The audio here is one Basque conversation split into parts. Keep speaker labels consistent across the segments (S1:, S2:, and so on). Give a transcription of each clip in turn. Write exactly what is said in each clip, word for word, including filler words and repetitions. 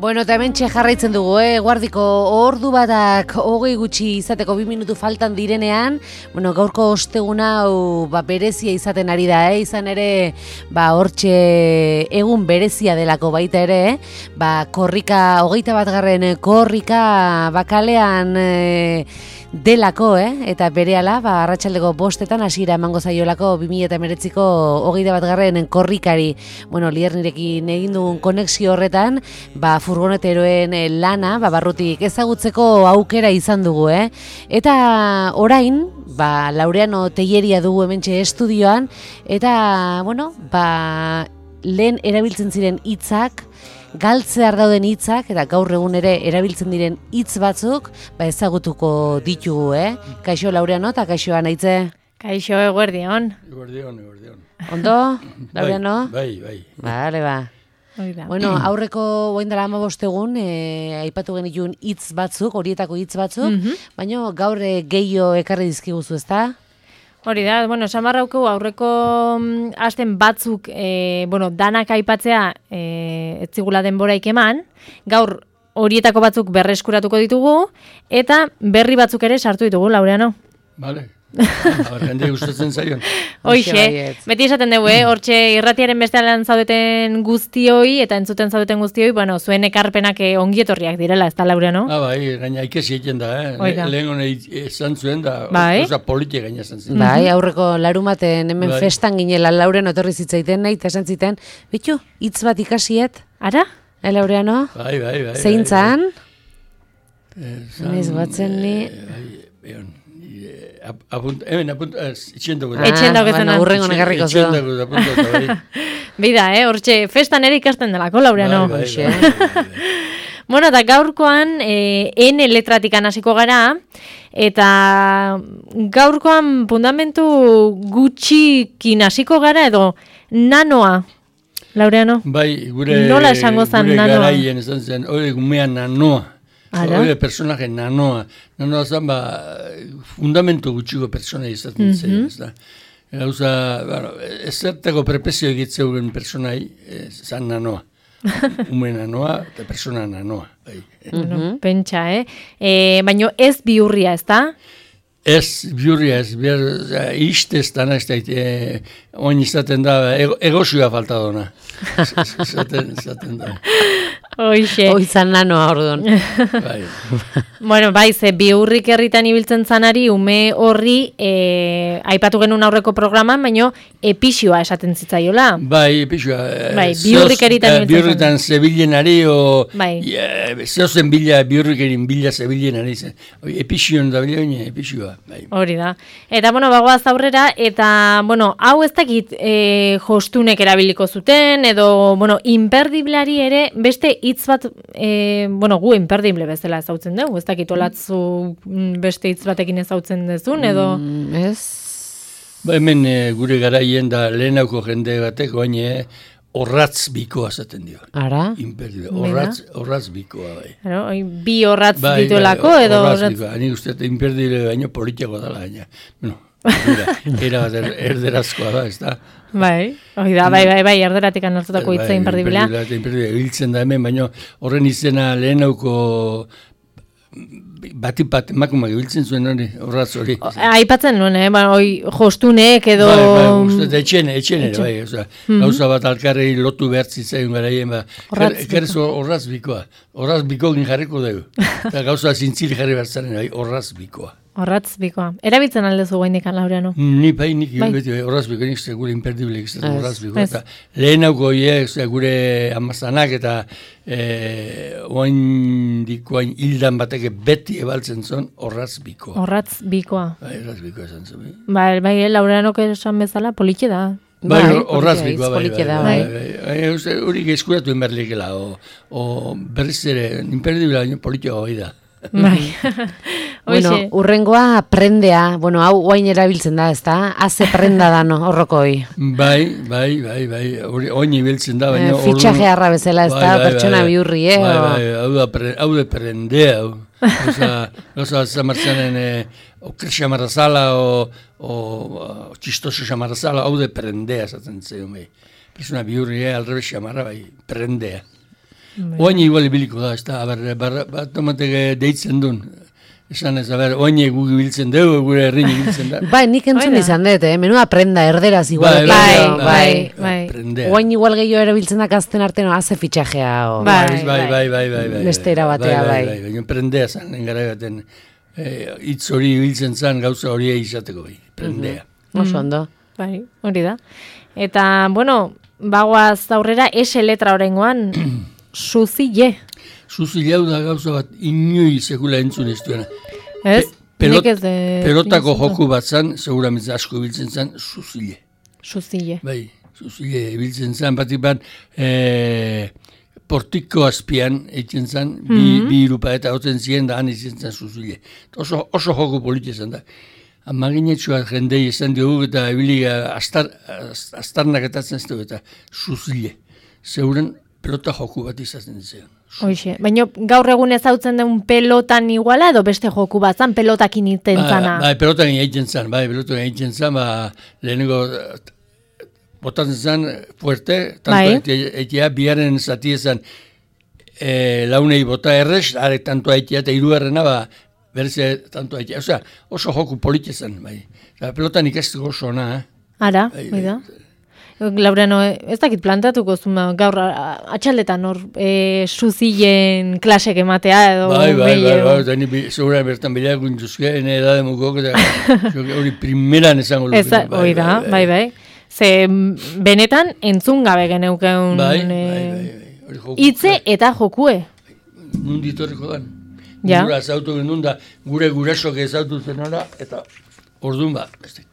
S1: Bueno, eta hemen jarraitzen dugu, eh? Guardiko ordu batak hogei gutxi izateko bi minutu faltan direnean, bueno, gaurko ostegun hau ba, berezia izaten ari da, eh? Izan ere, ba, hortxe egun berezia delako baita ere, eh? Ba, korrika, hogeita bat garren korrika bakalean eh, delako, eh? Eta berehala, ba, arratsaldeko bostetan hasiera emango zaiolako bi mila hemeretziko hogeita bat garren korrikari, bueno, Liernirekin egin dugun konexio horretan, ba, furgoneteroen lana, ba, barrutik ezagutzeko aukera izan dugu, eh? Eta orain, ba, Laureano Telleria dugu hementxe estudioan, eta, bueno, ba, lehen erabiltzen ziren hitzak, galtzear dauden hitzak, eta gaur egun ere erabiltzen diren hitz batzuk, ba, ezagutuko ditugu, eh? Kaixo Laureano eta kaixo Anaitze.
S2: Kaixo, eguerdion.
S3: Eguerdion, eguerdion.
S1: Ondo, Laureano?
S3: Bai, bai.
S1: Vale, ba. Bueno, aurreko orain dela hamabost egun eh, aipatu genituen hitz batzuk, horietako hitz batzuk, mm -hmm. baina gaur eh, gehiago ekarri dizkiguzu, ezta?
S2: Hori da, bueno, samarrauko aurreko mm, asten batzuk, eh, bueno, danak aipatzea eh, etzigula denboraik eman, gaur horietako batzuk berreskuratuko ditugu, eta berri batzuk ere sartu ditugu, Laureano.
S3: Vale. Jende gustatzen zaion.
S2: Hoixe, beti esaten dugu, eh? Hortxe irratiaren bestean zaudeten guztioi eta entzuten zaudeten guztioi, bueno, zuen ekarpenak ongi etorriak direla, ez da, Laureano?
S3: Ah, bai, gaina ikesi egiten da, eh? Lehen hone esan zuen da,
S2: bai?
S3: oza politia gaina esan zen.
S1: Bai, aurreko larumaten hemen bai. Festan ginela Laureano etorri zitzaiten nahi, eta esan ziten, bitu, hitz bat ikasiet?
S2: Ara?
S1: Eh, Laureano?
S3: Bai, bai, bai.
S1: Zeintzan?
S3: Bai,
S1: Ez batzen ni...
S3: Bai, Apunt, hemen, apunt, itxendago.
S2: Itxendago zen.
S1: Bueno, urrengo negarriko zo.
S3: Itxendago, apuntu, bai.
S2: Bida, eh, hortxe, festan ere ikasten delako, Laureano.
S3: Bai, bai, bai, bai, bai.
S2: Bueno, eta gaurkoan, eh, N letratik hasiko gara, eta gaurkoan fundamentu gutxikin hasiko gara, edo nanoa, Laureano.
S3: Bai, gure,
S2: nola esango zen
S3: gure
S2: nanoa?
S3: garaien esan zen, hori gumean nanoa. Hori personaje nanoa. Nanoa zen, ba, fundamentu gutxiko persona izaten zen, mm -hmm. ez da. Gauza, bueno, ezertako perpezio egitzeuren personai, zan nanoa. Ume nanoa eta persona nanoa. Bai.
S2: Bueno, pentsa, eh? E, baina ez bihurria, ez da?
S3: Ez bihurria, ez bihurria, istez dana, ez da, e, oin izaten da, ego, egosioa falta dona. Izaten, izaten da.
S2: Hoixe.
S1: Hoizan nanoa orduan.
S3: Bai.
S2: Bueno, bai, ze bihurrik herritan ibiltzen zanari, ume horri, e, aipatu genuen aurreko programan, baina epixioa esaten zitzaiola.
S3: Bai, epixioa.
S2: Bai, bihurrik eritan ibiltzen zanari.
S3: Bihurritan zebilenari, o...
S2: Bai.
S3: Zeozen bila, bihurrik erin bila zebilenari. Epixion da bila, epixioa. Bai.
S2: Hori da. Eta, bueno, bagoaz aurrera, eta, bueno, hau ez dakit e, jostunek erabiliko zuten, edo, bueno, imperdibleari ere, beste hitz bat, e, bueno, gu imperdible bezala ezautzen dugu, ez dakit olatzu beste hitz batekin ezautzen dezun, edo...
S1: Mm, ez?
S3: Ba, hemen e, gure garaien da lehenauko jende batek, baina horratz bikoa zaten dio.
S1: Ara?
S3: Imperdible. Horratz, horratz bikoa, bai.
S2: Claro, bi horratz
S3: bai,
S2: dituelako,
S3: bai,
S2: edo...
S3: Horratz bikoa, hanik uste, imperdible baino politiako dala, baina, bueno, era bat erderazkoa da, ez da.
S2: Bai, hori da, bai, bai, bai, erderatik anartutako hitza
S3: bai,
S2: imperdiblea.
S3: Imperdiblea, ibiltzen da hemen, baina horren izena lehenauko batipat emakumak ibiltzen zuen hori, horratz hori.
S2: Aipatzen nuen, eh, ba, oi, jostunek edo...
S3: Bai, bai, uste, etxene, etxene, bai, oza, mm-hmm. gauza bat alkarrei lotu behartzitzaiun garaien, ba, kerez horratz bikoa, horratz bikokin jarriko dugu, eta gauza zintzili jarri behartzaren, bai, horratz bikoa.
S2: Horratz bikoa. Erabiltzen aldezu guaindikan, Laureano?
S3: Ni bai, nik bai. Beti, horratz bikoa, nik gure imperdible izaten horratz bikoa. Eta lehenauko hiek, gure amazanak eta e, oain dikoain hildan bateke beti ebaltzen zon horratz bikoa.
S2: Horratz bikoa.
S3: Bai, horratz bikoa esan zen.
S2: Bai, bai, Laureanok esan bezala, politxe da.
S3: Bai, horratz bikoa, bai, bai,
S2: bai.
S3: Horik eskuratu inberlikela, o berriz ere, imperdible baino politxe hori da.
S2: Bai.
S1: Bueno, urrengoa prendea, bueno, hau guain erabiltzen da, ez da? Haze prenda da, no, horrokoi.
S3: Bai, bai, bai, bai, oin ibiltzen da, baina...
S1: Eh, fitxaje harra bezala, ez da, bai, pertsona bai, bihurri, eh?
S3: Bai, bai, hau da, pre, hau da prendea, hau. Osa, osa, zamartzanen, eh, oker xamarazala, o, o txistoso xamarazala, hau da prendea, zaten zeion, bai. Persona bihurri, eh, alrebe xamara, bai, prendea. Oain igual ibiliko da, ez da, bat omatek deitzen duen. Esan ez, aber, oain gu biltzen dugu, gure herrin biltzen da.
S1: Bai, nik entzun izan dut, eh? Menua prenda, erderaz igual.
S2: Bai, bai, bai.
S1: Oain igual gehiago erabiltzen da gazten artean, haze fitxajea.
S3: Bai, bai, bai, bai, bai.
S1: Beste erabatea, bai.
S3: Baina prendea zan, engara gaten, hitz hori biltzen zan, gauza hori izateko, bai, prendea.
S1: Oso ondo.
S2: Bai, hori da. Eta, bueno, bagoaz aurrera, ese letra horrengoan, suzile.
S3: Zuzileu da gauza bat inui sekula entzun ez duena.
S2: Ez?
S3: Pelot, pelotako joku bat zan, seguramente asko biltzen zan, zuzile.
S2: Zuzile.
S3: Bai, zuzile biltzen zan, batik bat, e, portiko azpian eitzen zan, bi, mm-hmm. bi irupa eta hotzen ziren da han eitzen zan zuzile. Oso, oso joku politia zan da. Amaginetxua jendei esan diogu eta ebiliga astar, astarnak etatzen ez dugu eta zuzile. Zeuren pelota joku bat izaten ziren.
S2: Hoxe, baina gaur egun ezautzen den pelotan iguala edo beste joku bat zan, pelotakin iten zana?
S3: Bai, pelotakin egiten zan, bai, pelotakin egiten zan, ba, lehenengo botatzen zan fuerte, tanto eitea, biaren zati ezan e, launei bota errez, are tanto eitea eta hirugarrena, ba, berze tanto eitea, osea, oso joku politia zan, bai. Pelotan ikastu oso ona, eh?
S2: Ara, bai, bai da. Laureano, ez dakit plantatuko zuma, gaur atxaldetan hor e, suzilen klasek ematea edo...
S3: Bai, bai, bai, bai, eta ni segura bertan bideak guintuzke, ene edade mugok, eta hori primeran esango luke.
S2: Ez, hori da, bai, bai. Ze benetan entzun gabe geneukeun
S3: bai, bai, bai, bai.
S2: Itze eta jokue.
S3: Nundi torriko dan.
S2: Ja.
S3: Gura zautu genuen da, gure gurasok ezautu zenora, eta orduan ba, ez dit.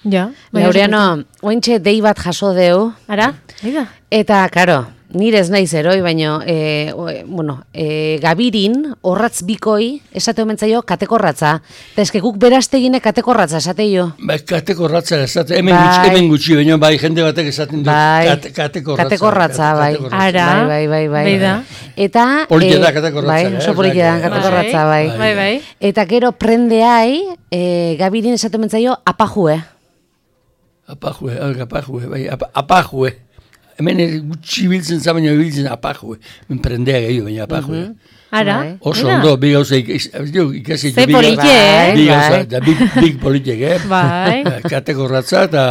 S2: Ja,
S1: Laureano, ointxe dei bat jaso deu.
S2: Ara, ida.
S1: Eta, karo, nire ez naiz eroi, baina, e, bueno, e, gabirin, horratz bikoi, esate omentzaio, katekorratza. Eta eske guk beraztegine katekorratza, esate jo.
S3: Bai, katekorratza, esate, hemen, bai. gutxi, hemen gutxi, baina bai, jende batek esaten du,
S1: bai.
S3: kate, katekorratza.
S1: Katekorratza, bai.
S2: Ara,
S1: bai, bai, bai, bai.
S2: da.
S1: Eta...
S3: Politia da katekorratza.
S1: Bai, oso politia da katekorratza, bai.
S2: Bai, bai.
S1: Eta gero prendeai, e, gabirin esate omentzaio, apajue.
S3: Apajue, apajue, bai, apajue. Hemen gutxi biltzen zabaino biltzen apajue. Men prendea gehiago, baina apajue.
S2: Ara,
S3: oso ondo, bi gauza ikasi.
S2: Ze politie, eh?
S3: Bi gauza, da big politiek, eh?
S2: Bai.
S3: Katekorratza eta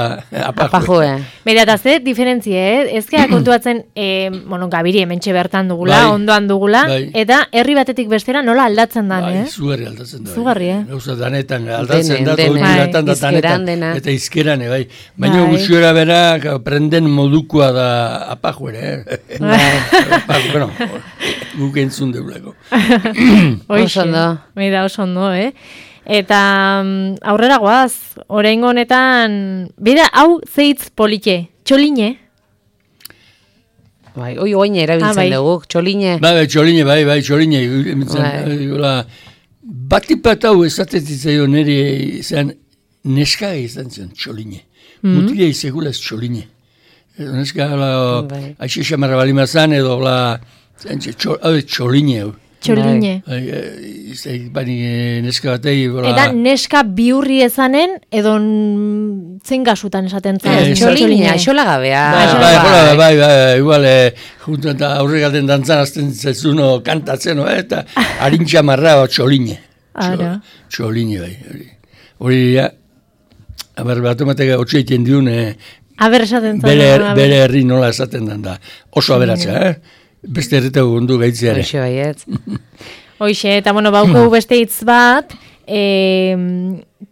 S3: apajue.
S2: Bera, eta ze diferentzie, eh? Ezkera kontuatzen, bueno, gabiri hementxe bertan dugula, ondoan dugula, eta herri batetik bestera nola aldatzen dan, eh?
S3: Bai, zugarri aldatzen da.
S2: Zugarri, eh?
S3: Gauza danetan aldatzen da, oituratan da danetan, eta izkeran, bai. Baina gutxiora bera, prenden modukua da apajuere, eh? Bueno, guk entzun deuleko.
S2: Oso ondo. Mira, oso ondo, eh? Eta um, aurrera goaz, oraingo honetan, bera, hau zeitz polite, txoline?
S1: Bai, oi oine erabiltzen ah, bai. dugu, txoline.
S3: Bai, bai, txoline, bai, bai, txoline. Bai. Batipat hau esatetitzaio nire izan, neska izan zen txoline. Mm-hmm. Mutila izegula ez txoline. Neska, bai. Aixe xamarra balimazan edo, la, hau txoline.
S2: Txoline.
S3: Bani neska batei.
S2: Eta neska biurri ezanen, edo zen gasutan esaten zen.
S1: Txoline, aixola gabea.
S3: Bai, bai, bai, bai, igual, juntu eta aurregaten dantzan azten zezuno kantatzen, eta harintxa marra txoline. Txoline, bai. Hori, ja, aber bat ematek hotxe egiten diun,
S2: aber esaten zen.
S3: Bere herri nola esaten den da. Oso aberatza, eh? Beste herritago gundu gaitzeare.
S1: Hoxe baiet.
S2: Hoxe, eta bueno, bauko beste hitz bat, e,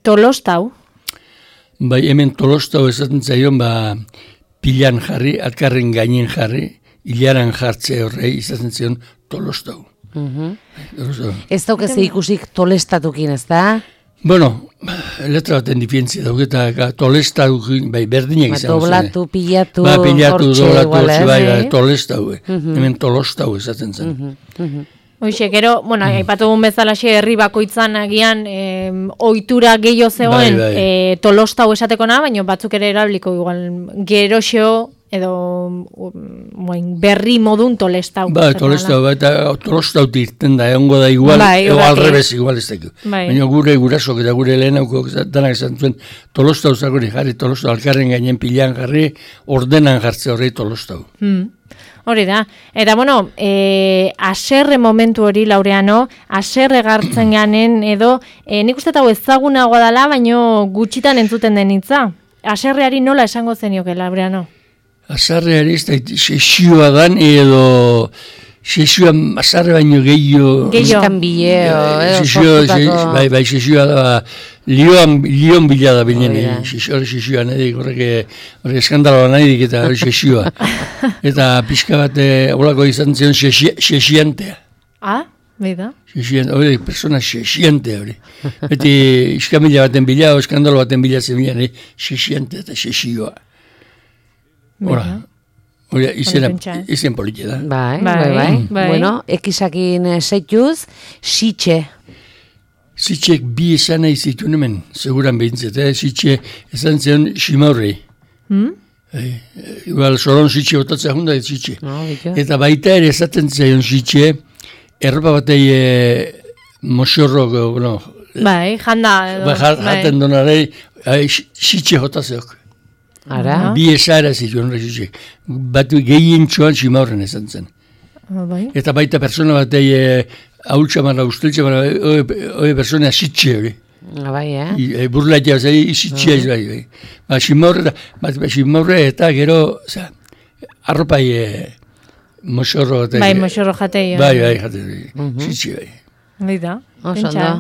S2: tolostau.
S3: Bai, hemen tolostau esaten zaion, ba, pilan jarri, atkarren gainen jarri, hilaran jartze horrei izaten zion tolostau.
S1: Uh-huh. Ez daukeze ikusik tolestatukin, ez da?
S3: Bueno, letra baten diferentzia dauk eta tolestau, bai, berdinak izan.
S1: Doblatu, pilatu,
S3: ba, pilatu, doblatu, hortxe, bai, bai, tolestau, hemen tolostau esaten zen.
S2: Hoxe, gero, bueno, aipatu gun bezalaxe herri bakoitzan agian ohitura gehiago zegoen tolostau esateko na, baina batzuk ere erabliko igual geroxo edo berri modun tolestau.
S3: Ba, tolestau, eta tolestau irten da, egongo da igual, ego alrebez igual ez dago. Baina gure gurasok eta gure lehenauko danak esan zuen, tolestau zagori jarri, tolestau alkarren gainen pilan jarri, ordenan jartze horrei tolestau.
S2: Hori da. Eta, bueno, e, aserre momentu hori, Laureano, aserre gartzen ganen, edo, e, nik uste hau ezagunagoa dela, baino gutxitan entzuten den hitza. Aserreari nola esango zenioke, Laureano?
S3: Aserreari ez da, sesioa dan, edo... Sesioa azarre baino gehiago...
S1: Gehiago. Gehiago.
S3: Sesioa, bai, bai, sesioa da, lioan, lion bila da bilen, sesioa nahi, horrek, horrek eskandaloa nahi dik, eta hori sesioa. Eta pixka bat, holako izan zion, sesiantea.
S2: Ah, behi da?
S3: Sesiantea, hori, persona sesiantea, hori. Beti, iskamila baten bila, eskandalo baten bila zen sesiantea eta sesioa. Hora. Hori, izen, izen politia da.
S1: Bai, bai, bai. bai. bai. Bueno, ekisakin seituz, sitxe.
S3: Sitxek bi esan nahi zituen hemen, seguran behintzet, eh? Sitxe esan zion simaurrei.
S2: Hmm?
S3: Eh, igual, soron sitxe botatzea junda, sitxe.
S1: No,
S3: eta baita ere esaten zion sitxe, erropa batei eh, moxorro, bueno...
S2: Bai, janda edo.
S3: Bai, jaten bai. Donarei, sitxe jotazeok.
S1: Ara?
S3: Bi esara zituen horrek, bat gehien txoan simaurren esan zen.
S2: Bai.
S3: Eta baita persona bat egi haultxamara, usteltxamara, hori persona sitxe hori.
S1: Bai, eh?
S3: I, burlaitea, zai, sitxea ez bai. Ba, simaurre, ba, simaurre eta gero, za, arropai e, moxorro. Eta,
S2: bai, moxorro jatei.
S3: Bai, bai, jatei, sitxe bai.
S2: Bai da,
S1: pentsa.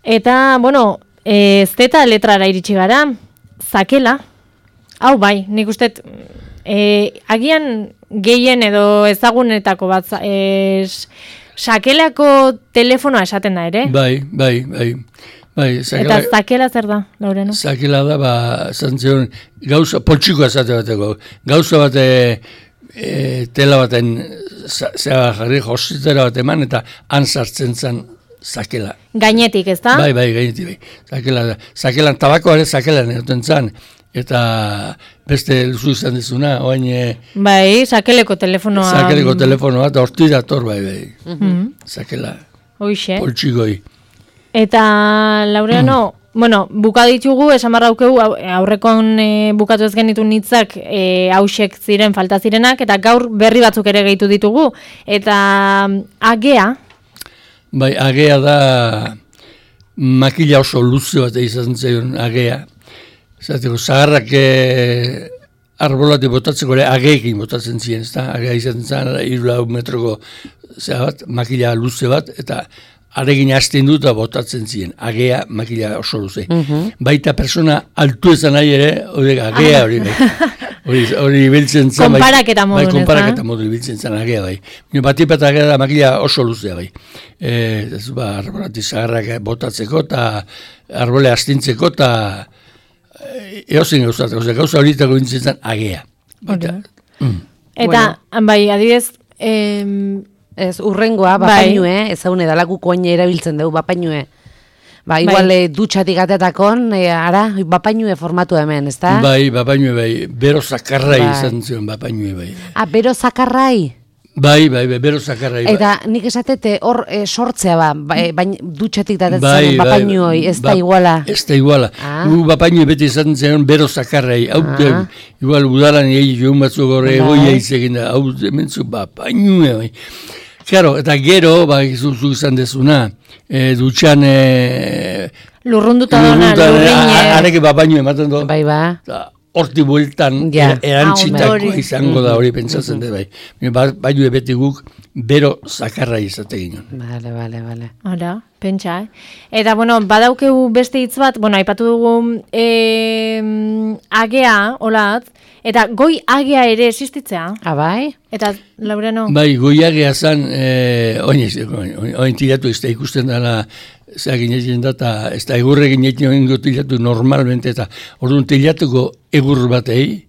S2: Eta, bueno, ez zeta letrara iritsi gara, zakela. Hau bai, nik uste, e, agian gehien edo ezagunetako bat, e, sakelako telefonoa esaten da ere?
S3: Bai, bai, bai. bai
S2: zakela, eta zakela zer da, Laureno?
S3: Zakela da, ba, zantzion, gauza, poltsikoa esate bateko, gauza bat e, tela baten, zera jarri, jositera bat eman, eta han sartzen zen zakela.
S2: Gainetik, ez da?
S3: Bai, bai, gainetik, bai. Zakela da. Zakelan, tabakoa ere zakelan egoten zen. Eta beste luzu izan dizuna, oain...
S2: Bai, sakeleko telefonoa...
S3: Sakeleko telefonoa, eta horti dator, bai, bai. Mm-hmm. Sakela.
S2: Hoixe.
S3: Poltsikoi.
S2: Eta, Laureano, mm. bueno, buka ditugu, esan barraukeu, aurrekon e, bukatu ez genitu nitzak e, hausek ziren, falta zirenak, eta gaur berri batzuk ere gehitu ditugu. Eta agea...
S3: Bai, agea da makila oso luze bat izan zion agea. Zateko, zaharrak e, arbolatik botatzeko ere ageekin botatzen ziren, ez da? Agea izan zen, irulau metroko bat, makila luze bat, eta aregin hasten dut eta botatzen ziren. Agea, makila oso luze. Mm-hmm. Baita persona altu ezan nahi ere, hori agea hori bai. Hori biltzen zen.
S2: Konparaketa
S3: bai,
S2: modu,
S3: bai, konparaketa modu biltzen zen agea bai. Bati bat agea da makila oso luzea bai. E, ez ba, arbolatik zaharrak botatzeko eta arbole astintzeko eta eozen gauzatako, gauza horietako bintzen zen agea.
S2: Mm. Eta, bueno. Bai, adibidez... Em,
S1: ez, urrengoa, bapainue, bai. Ezaune dalaku koine erabiltzen dugu, bapainue. Ba, igual bai. Dutxatik atetakon, e, ara, bapainue formatu hemen, ez da? Bai,
S3: bapainue bai, bero zakarrai bai. Izan zion bapainue bai.
S1: Ah, bero zakarrai?
S3: Bai, bai, bai, bero zakarrai. Bai.
S1: Eta nik esatete hor e, sortzea ba, baina dutxatik datetzen bai, bapainoi, ez da ba, iguala.
S3: Ez da iguala. Ah. Gu bapainoi beti esaten zen bero zakarrai. Hau, ah. Igual udaran egi joan batzuk horre egoia izegin da. Hau, mentzu bapainoi, bai. Claro, eta gero, ba, zuzu izan dezuna, e, dutxan... E,
S2: lurrunduta dona, lurrine.
S3: Areke bapainoi ematen do.
S1: Bai, ba.
S3: Horti bueltan yeah. Erantzitako ah, izango da hori pentsatzen dut bai. Bai du beti guk bero zakarra izate ginen.
S1: Bale, bale, bale.
S2: Hala, pentsa, eh? Eta, bueno, badaukegu beste hitz bat, bueno, aipatu dugu eh, agea, holat, eta goi agea ere existitzea.
S1: Ah, bai?
S2: Eta, Laureano?
S3: Bai, goi agea zan, eh, oin, oin, oin tiratu ez da ikusten dela, zera ginetzen da, eta ez da egurre ginetzen oingo tilatu normalmente, eta orduan tilatuko egur batei,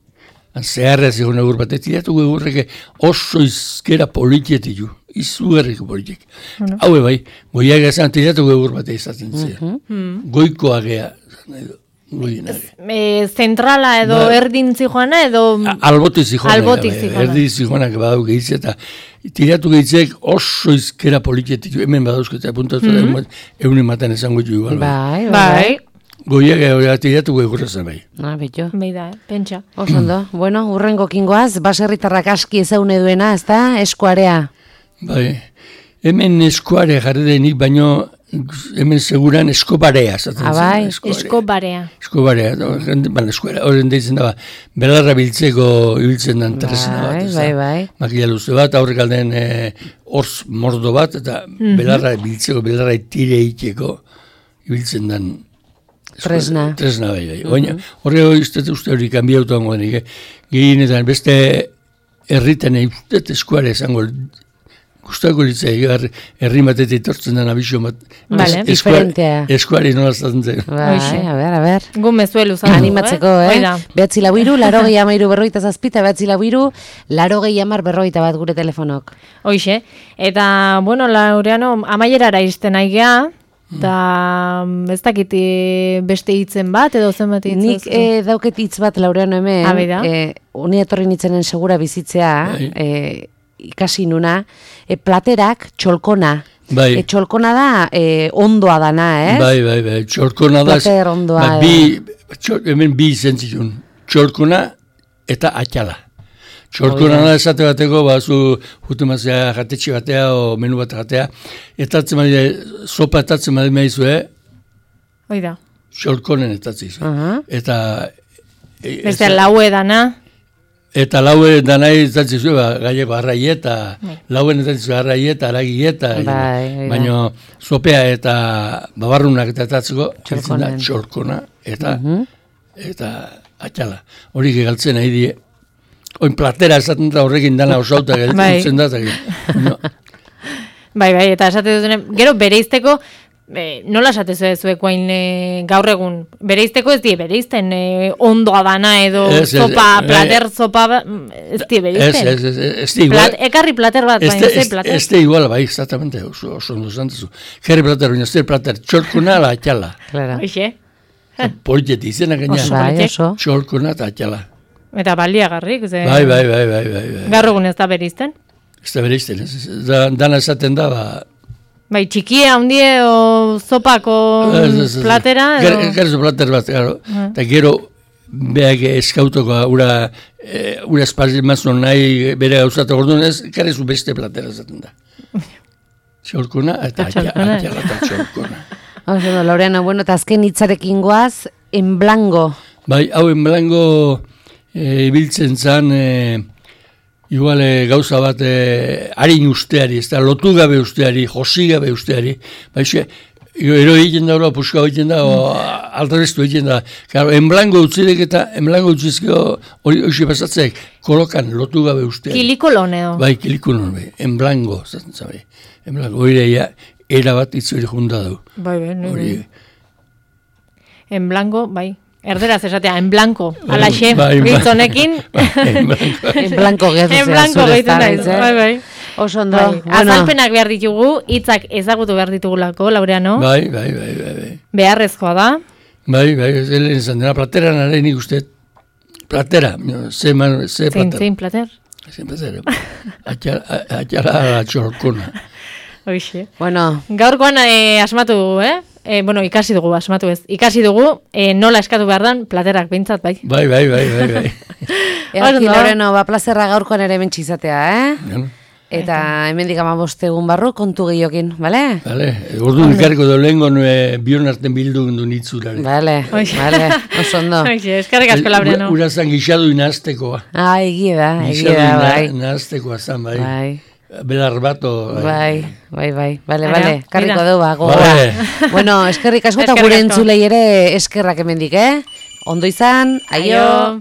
S3: zeharra ez egon egur batei, tilatuko egurreke oso izkera politietik ju, izugarriko politik. Bueno. Hau bai, goiagea zan tilatuko egur batei izaten zera. Mm-hmm. Goiko agea,
S2: e, zentrala edo ba, erdintzi joana edo...
S3: Albotik zijoana.
S2: Albotik zijoana.
S3: Erdintzi zijoanak badau gehitze eta tiratu gehitzek oso izkera politietik hemen badauzko eta puntatu mm-hmm. da egun ematen esango ju igual.
S1: Bai,
S2: bai.
S3: goiak hori atiratu egurrezen bai.
S1: Ah, betxo.
S2: Beida, eh? Pentsa.
S1: Osondo, bueno, urrengo kingoaz, baserritarrak aski ezaune duena, ez da, eskuarea.
S3: Bai, hemen eskuare jarri denik, baino hemen seguran eskobarea.
S1: Ah, bai,
S2: eskobarea.
S3: Eskobarea, baina eskuara, horren deitzen da, belarra biltzeko ibiltzen den tresna bat.
S1: Bai, bai, bai.
S3: Makila luze bat, aurrek alden horz mordo bat, eta belarra biltzeko, belarra tire iteko ibiltzen den
S1: tresna.
S3: Tresna, bai, bai. Oina, horre hori uste hori kanbiautu hango denik, gehienetan beste herritan uste eskuare esango gustako litzai, herri batetik tortzen den abixo bat.
S2: Vale,
S1: diferentea.
S3: Eskuari nola zaten zen.
S1: Bai, a ber, a ber.
S2: Gu mezuelu zan.
S1: Animatzeko, eh? eh? Behatzi lau iru, laro gehi amairu berroita zazpita, behatzi lau iru, laro gehi amar berroita bat gure telefonok.
S2: Hoixe. Eta, bueno, Laureano, amaierara izten aigea, eta ez dakit beste hitzen bat, edo zen bat hitz?
S1: Nik eh, dauket hitz bat, Laureano, hemen.
S2: Abida.
S1: Eh, Uni etorri nitzenen segura bizitzea, eh, ikasi nuna, e, platerak txolkona.
S3: Bai.
S1: E, txolkona da e, ondoa dana, eh?
S3: Bai, bai, bai, txolkona da.
S1: Plater ondoa.
S3: Ba, bi, txol, hemen bi izen zitun, txolkona eta atxala. Txolkona da esate bateko, ba, zu jutumazea jatetxe batea o menu bat jatea, etatzen badide, sopa etatzen badide maizu, eh?
S2: Oida.
S3: Txolkonen etatzen izu.
S1: Uh-huh.
S3: Eta...
S2: E, Beste laue dana.
S3: Eta laue danai zatzen zuen, ba, gaieko arraieta, lauen zatzen zuen arraieta, aragieta, baina sopea eta babarrunak eta etatzeko, zitzen da txorkona eta, uh-huh. eta atxala. Horik egaltzen nahi die, oin platera esaten da horrekin dana osauta geltzen da. No.
S2: Bai, bai, eta esate duten, gero bereizteko, E, nola esatezue zuekoain e, gaur egun, bereizteko ez die bereizten, e, ondoa dana edo es, sopa, es, plater e, sopa, ez die bereizten.
S3: Ez, ez, ez, ez di igual.
S2: Plat, ekarri plater bat, baina ez plater.
S3: Ez di igual, bai, exactamente, oso, oso ondo zantezu. Kerri plater, baina ez di plater, txorkuna ala atxala.
S1: Claro.
S2: Oixe.
S3: Politeti izena gaina.
S1: Oso, bai, oso.
S3: Txorkuna eta atxala.
S2: Eta baliagarrik, ze...
S3: Bai, bai, bai, bai, bai, bai.
S2: Gaur egun ez da bereizten?
S3: Ez da bereizten, ez. Da, dana esaten da, ba...
S2: Bai, txikia, hundie, o sopako platera, edo?
S3: Gero plater bat, gero. Eta gero, behak eskautoko, ura, ura espazio mazun nahi bere gauzatu gordun, ez, garezu beste platera zaten da. Txorkona eta atxala eta txorkona.
S1: Oso, Laureano, bueno, eta azken hitzarekin goaz, en blanco. Bai,
S3: hau en blanco ibiltzen zan... Igual e, gauza bat e, harin usteari, ez da, lotu gabe usteari, josi gabe usteari, baixe, ero egiten da, puska egiten da, o altarestu egiten da. Claro, enblango utzidek eta enblango utzizkio hori hoxe pasatzek, kolokan lotu gabe usteari.
S2: Kilikolon edo?
S3: Bai, kilikolon, bai, enblango, zaten zabe, enblango, hori ja, era bat itzuri junda du.
S2: Bai, bai, bai. Enblango, bai. Erderaz esatea, en blanco, alaxe, gitzonekin.
S1: En blanco gehiago zera.
S2: En blanco gehiago zera, bai, bai.
S1: Oso ondo.
S2: Bai. Bueno. Azalpenak behar ditugu, hitzak ezagutu behar ditugulako, Laureano.
S3: Bai, bai, bai, bai, bai.
S2: Beharrezkoa da.
S3: Bai, bai, ez lehen izan dena, platera nare nik uste. Platera, ze, man, ze
S2: zein,
S3: plater.
S2: Zein plater?
S3: Zein plater. Atxala la txorkona.
S2: Hoixe.
S1: Bueno.
S2: Gaurkoan eh, asmatu dugu, eh? E, bueno, ikasi dugu, asmatu ez. Ikasi dugu, e, nola eskatu behar dan, platerak behintzat, bai.
S3: Bai, bai, bai, bai, bai.
S1: Eaki, Laureno, ba, plazerra gaurkoan ere mentxizatea, eh?
S3: Bueno.
S1: Eta hemendik amabostegun barru kontu gehiokin, bale?
S3: Bale, ordu ikarriko do lehenko bion arten bildu gundu nitzurare.
S1: Bale, bale, oso ondo.
S2: Eskarrik asko, Laureno.
S3: Ura zan gixadu inaztekoa.
S1: Ah, egie da, egie da, bai.
S3: Gixadu inaztekoa zan, bai.
S1: Bai.
S3: Belar bato.
S1: Bai, bai, bai. Bale, bale. Karriko du, ba, gogoa. Bueno, eskerrik asko eta gure entzulei ere eskerrak hemendik, eh? Ondo izan, aio.